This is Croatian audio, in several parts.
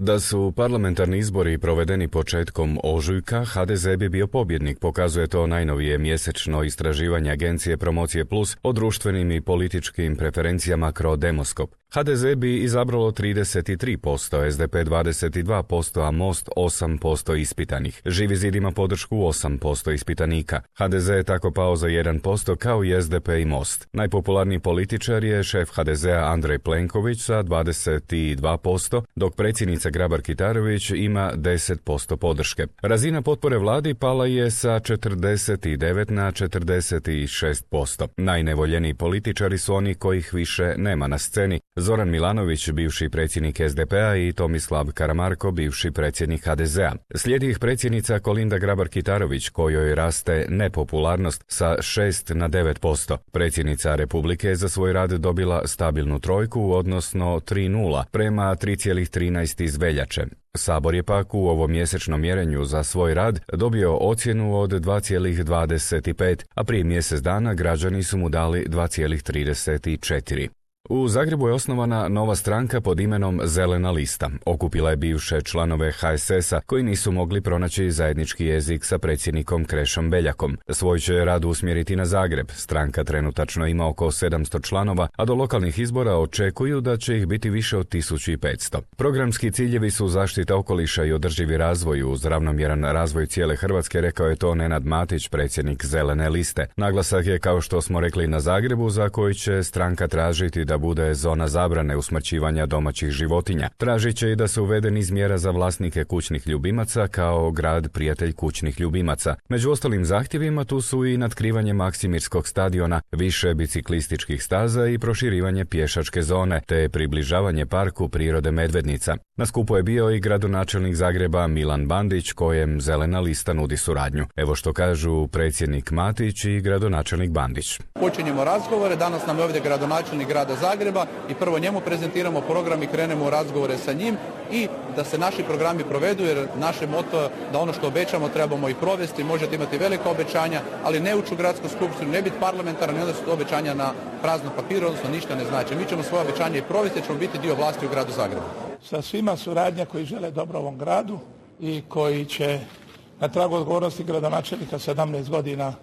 Da su parlamentarni izbori provedeni početkom ožujka, HDZ bi bio pobjednik, pokazuje to najnovije mjesečno istraživanje agencije Promocije Plus o društvenim i političkim preferencijama Crodemoskop. HDZ bi izabralo 33%, SDP 22%, a Most 8% ispitanih. Živi zid ima podršku 8% ispitanika. HDZ je tako pao za 1% kao i SDP i Most. Najpopularniji političar je šef HDZ-a Andrej Plenković sa 22%, dok predsjednica Grabar-Kitarović ima 10% podrške. Razina potpore vladi pala je sa 49 na 46%. Najnevoljeniji političari su oni kojih više nema na sceni. Zoran Milanović, bivši predsjednik SDP-a i Tomislav Karamarko, bivši predsjednik HDZ-a. Slijedi ih predsjednica Kolinda Grabar-Kitarović, kojoj raste nepopularnost sa 6 na 9%. Predsjednica Republike je za svoj rad dobila stabilnu trojku, odnosno 3,0 prema 3,13 iz veljače. Sabor je pak u ovom mjesečnom mjerenju za svoj rad dobio ocjenu od 2,25, a prije mjesec dana građani su mu dali 2,34. U Zagrebu je osnovana nova stranka pod imenom Zelena lista. Okupila je bivše članove HSS-a koji nisu mogli pronaći zajednički jezik sa predsjednikom Krešom Beljakom. Svoj će rad usmjeriti na Zagreb. Stranka trenutačno ima oko 700 članova, a do lokalnih izbora očekuju da će ih biti više od 1500. Programski ciljevi su zaštita okoliša i održivi razvoj uz ravnomjeran razvoj cijele Hrvatske, rekao je to Nenad Matić, predsjednik Zelene liste. Naglasak je, kao što smo rekli, na Zagrebu, za koji će stranka tražiti da bude zona zabrane usmrćivanja domaćih životinja. Tražit će i da se uvede niz mjera za vlasnike kućnih ljubimaca kao grad prijatelj kućnih ljubimaca. Među ostalim zahtjevima tu su i natkrivanje Maksimirskog stadiona, više biciklističkih staza i proširivanje pješačke zone, te približavanje parku prirode Medvednica. Na skupu je bio i gradonačelnik Zagreba Milan Bandić, kojem Zelena lista nudi suradnju. Evo što kažu predsjednik Matić i gradonačelnik Bandić. Počinjemo razgovore, danas nam je ovdje gradonačelnik grada Zagreba i prvo njemu prezentiramo program i krenemo u razgovore sa njim i da se naši programi provedu, jer naše moto je da ono što obećamo trebamo i provesti. Možete imati velika obećanja, ali ne ući u gradsku skupštinu, ne biti parlamentaran i onda su to obećanja na praznom papiru, odnosno ništa ne znači. Mi ćemo svoje obećanje i provesti, ćemo biti dio vlasti u gradu Zagrebu. Sa svima suradnja koji žele dobro ovom gradu i koji će na tragu odgovornosti gradonačelnika 17 godina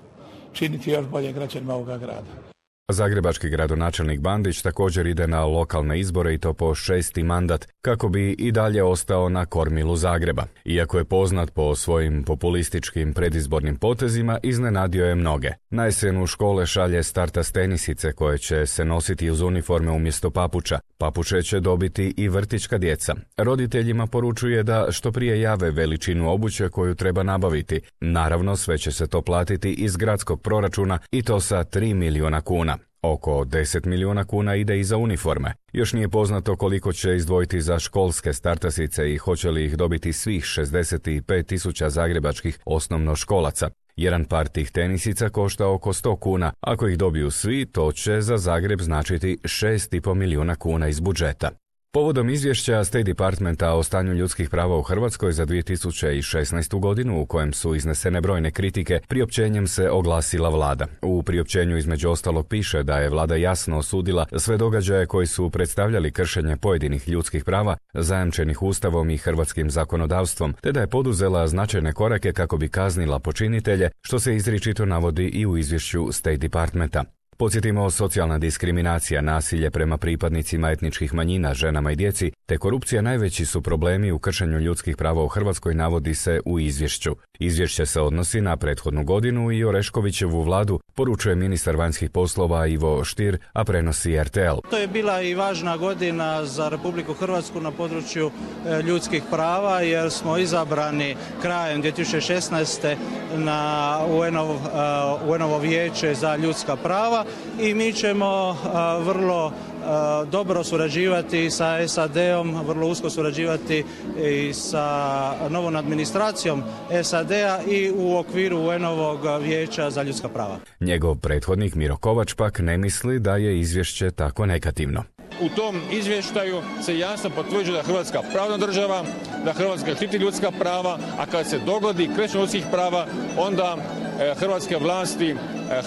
činiti još bolje građanima ovoga grada. Zagrebački gradonačelnik Bandić također ide na lokalne izbore i to po 6. mandat kako bi i dalje ostao na kormilu Zagreba. Iako je poznat po svojim populističkim predizbornim potezima, iznenadio je mnoge. Na jesen u škole šalje startas tenisice koje će se nositi uz uniforme umjesto papuča. Papuče će dobiti i vrtićka djeca. Roditeljima poručuje da što prije jave veličinu obuće koju treba nabaviti. Naravno, sve će se to platiti iz gradskog proračuna i to sa 3 milijuna kuna. Oko 10 milijuna kuna ide i za uniforme. Još nije poznato koliko će izdvojiti za školske startasice i hoće li ih dobiti svih 65.000 zagrebačkih osnovnoškolaca. Jedan par tih tenisica košta oko 100 kuna. Ako ih dobiju svi, to će za Zagreb značiti 6,5 milijuna kuna iz budžeta. Povodom izvješća State Departmenta o stanju ljudskih prava u Hrvatskoj za 2016. godinu, u kojem su iznesene brojne kritike, priopćenjem se oglasila vlada. U priopćenju između ostalog piše da je vlada jasno osudila sve događaje koji su predstavljali kršenje pojedinih ljudskih prava zajamčenih Ustavom i hrvatskim zakonodavstvom, te da je poduzela značajne korake kako bi kaznila počinitelje, što se izričito navodi i u izvješću State Departmenta. Podsjetimo, socijalna diskriminacija, nasilje prema pripadnicima etničkih manjina, ženama i djeci, te korupcija najveći su problemi u kršenju ljudskih prava u Hrvatskoj, navodi se u izvješću. Izvješće se odnosi na prethodnu godinu i Oreškovićevu vladu, poručuje ministar vanjskih poslova Ivo Stier, a prenosi RTL. To je bila i važna godina za Republiku Hrvatsku na području ljudskih prava, jer smo izabrani krajem 2016. na UN-ovo vijeće za ljudska prava i mi ćemo vrlo dobro surađivati sa SAD-om, vrlo usko surađivati i sa novom administracijom SAD-a i u okviru UN-ovog vijeća za ljudska prava. Njegov prethodnik Miro Kovač pak ne misli da je izvješće tako negativno. U tom izvještaju se jasno potvrđuje da je Hrvatska pravna država, da Hrvatska štiti ljudska prava, a kad se dogodi kršenje ljudskih prava, onda hrvatske vlasti,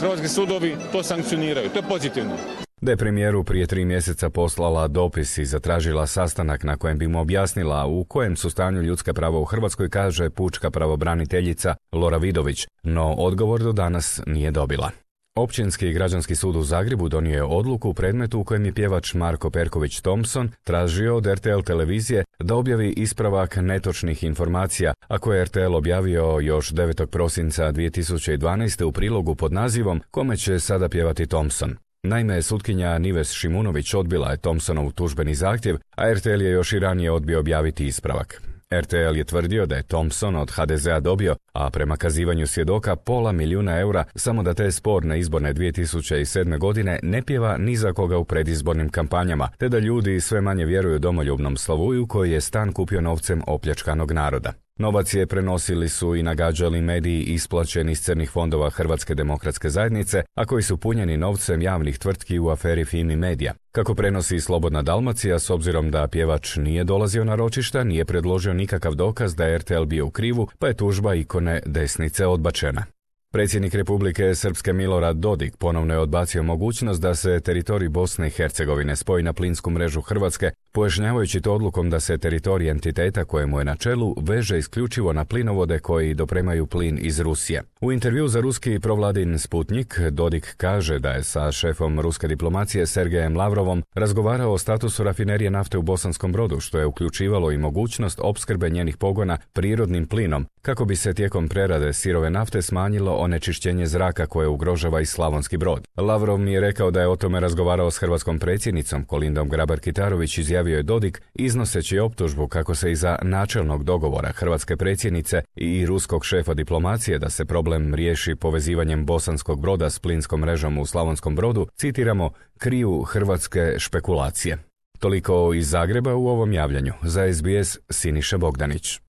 hrvatski sudovi to sankcioniraju. To je pozitivno. Da je premijeru prije 3 mjeseca poslala dopis i zatražila sastanak na kojem bi mu objasnila u kojem su stanju ljudska prava u Hrvatskoj, kaže pučka pravobraniteljica Lora Vidović, no odgovor do danas nije dobila. Općinski i građanski sud u Zagrebu donio je odluku u predmetu u kojem je pjevač Marko Perković Thompson tražio od RTL televizije da objavi ispravak netočnih informacija, a koje je RTL objavio još 9. prosinca 2012. u prilogu pod nazivom Kome će sada pjevati Thompson. Naime, sutkinja Nives Šimunović odbila je Thompsonov tužbeni zahtjev, a RTL je još i ranije odbio objaviti ispravak. RTL je tvrdio da je Thompson od HDZ-a dobio, a prema kazivanju svjedoka, $500 000 samo da te sporne izborne 2007. godine ne pjeva ni za koga u predizbornim kampanjama, te da ljudi sve manje vjeruju domoljubnom Slavuju koji je stan kupio novcem opljačkanog naroda. Novac je prenosili su i nagađali mediji isplaćeni iz crnih fondova Hrvatske demokratske zajednice, a koji su punjeni novcem javnih tvrtki u aferi Fimi Media. Kako prenosi Slobodna Dalmacija, s obzirom da pjevač nije dolazio na ročišta, nije predložio nikakav dokaz da je RTL bio u krivu, pa je tužba ikone desnice odbačena. Predsjednik Republike Srpske Milorad Dodik ponovno je odbacio mogućnost da se teritorij Bosne i Hercegovine spoji na plinsku mrežu Hrvatske, pojašnjavajući to odlukom da se teritorij entiteta kojemu je na čelu veže isključivo na plinovode koji dopremaju plin iz Rusije. U intervju za ruski provladin Sputnik, Dodik kaže da je sa šefom ruske diplomacije Sergejem Lavrovom razgovarao o statusu rafinerije nafte u Bosanskom Brodu, što je uključivalo i mogućnost opskrbe njenih pogona prirodnim plinom, kako bi se tijekom prerade sirove nafte smanjilo onečišćenje zraka koje ugrožava i Slavonski Brod. Lavrov mi je rekao da je o tome razgovarao s hrvatskom predsjednicom Kolindom Grabar-Kitarović, izjavio je Dodik, iznoseći optužbu kako se iza načelnog dogovora hrvatske predsjednice i ruskog šefa diplomacije da se problem riješi povezivanjem Bosanskog Broda s plinskom mrežom u Slavonskom Brodu, citiramo, kriju hrvatske špekulacije. Toliko iz Zagreba u ovom javljanju. Za SBS Siniša Bogdanić.